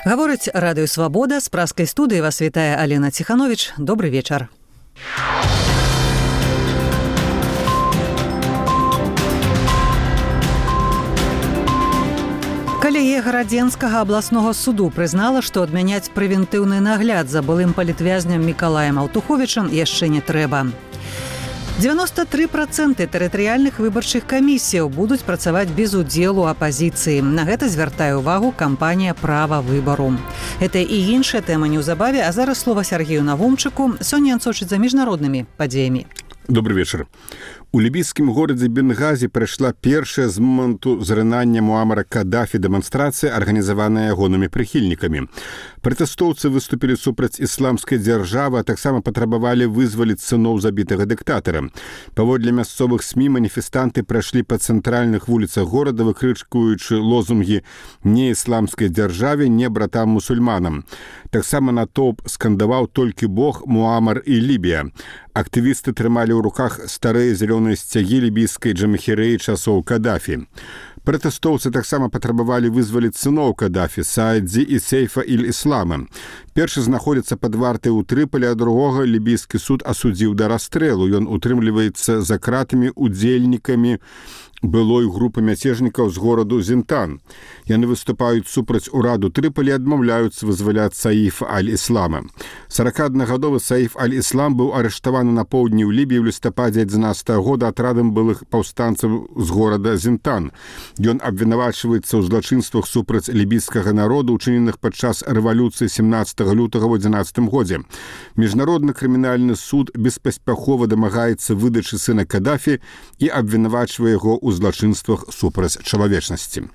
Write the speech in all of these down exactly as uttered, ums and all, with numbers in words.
Гаворыць радыё «Свабода», з праскай студыі вас вітае Алена Ціхановіч. Добры вечар. Калегія Гарадзенскага абласнога суду прызнала, што адмяняць прэвентыўны нагляд за былым палітвязням Мікалаем Аўтуховічам яшчэ не трэба. дзевяносто тры працэнты тэрытарыяльных выбарчых камісіяў будуць працаваць без удзелу апазіцыі. На гэта звяртае ўвагу кампанія «Права выбару». Гэта і іншая тэма неўзабаве, а зараз слова Сергею Навумчыку. Сёння ён сочыць за міжнароднымі падзеямі. Добрый вечар. У лібійскім горадзе Бенгазі прайшла першая з моманту зрынання Муамара Кадафі дэманстрацыя, арганізаваная ягонымі прыхільнікамі. Пратэстоўцы выступілі супраць ісламскай дзяржавы, а таксама патрабавалі вызваліць сыноў забітага дыктатара. Паводле мясцовых СМІ маніфестанты прайшлі па цэнтральных вуліцах горада, выкрычкуючы лозунгі «Не ісламскай дзяржаве, не братам-мусульманам». Таксама натоўп скандаваў «Толькі Бог, Муамар і Лібія». Актывісты трымалі ў руках старыя зялёныя сцягі лібійскай джамахірэі часоў Кадафі. Пратэстоўцы таксама патрабавалі вызваліць сыноў Кадафі, Саадзі і Сейфа іль-Іслама. Першы знаходзіцца пад вартай у Трыполі, а другога лібійскі суд асудзіў да расстрэлу. Ён утрымліваецца за кратамі удзельнікамі былой групы мяцежнікаў з гораду Зінтан. Яны выступаюць супраць ураду Трыполі і адмаўляюцца вызваляць Саіфа аль-Іслама. сорокааднагадовы Саіф аль-Іслам быў арыштаваны на поўдні ў Лібіі ў лістападзе адзінаццатага года атрадам былых паўстанцаў з горада Зінтан. Ён абвінавачваецца ў злачынствах супраць лібійскага народу, учыненых падчас рэвалюцыі семнаццатага лютага ў адзінаццатым годзе. Міжнародны крымінальны суд беспаспяхова дамагаецца выдачы сына Кадафі і абвінавачвае яго ў злачынствах супраць чалавечнасці.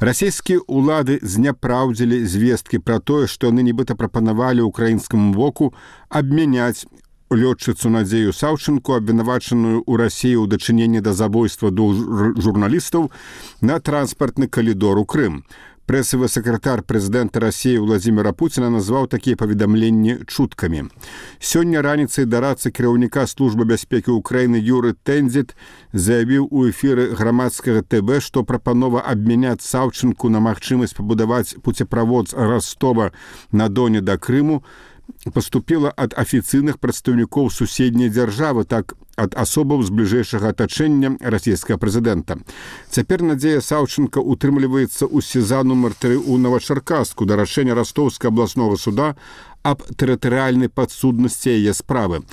Расійскія ўлады зняпраўдзілі звесткі пра тое, што яны нібыта прапанавалі ўкраінскаму боку абмяняць лётчыцу Надзею Саўчынку, абвінавачаную ў Расіі ў дачыненні да забойства двух журналістаў, на транспартны калідор у Крым. Прэсавы сакратар прэзідэнта Расіі Владзіміра Пуціна назваў такія паведамленні чуткамі. Сёння раніцай дарадца кіраўніка службы бяспекі ўкраіны Юры Тэндзіт заявіў у эфіры грамадскага тэ вэ, што прапанова абмяняць Саўчынку на магчымасць пабудаваць пуцеправод з Ростова на Доне да Крыму паступіла ад афіцыйных прадстаўнікоў суседняй дзяржавы, так ад асобаў з бліжэйшага атачэння расійскага прэзідэнта. Цяпер Надзея Саўчынка утрымліваецца ў СІЗА нумар тры ў Новачаркаску да рашэння Ростовскага абласнога суда аб тэрытарыяльнай падсуднасці яе справы.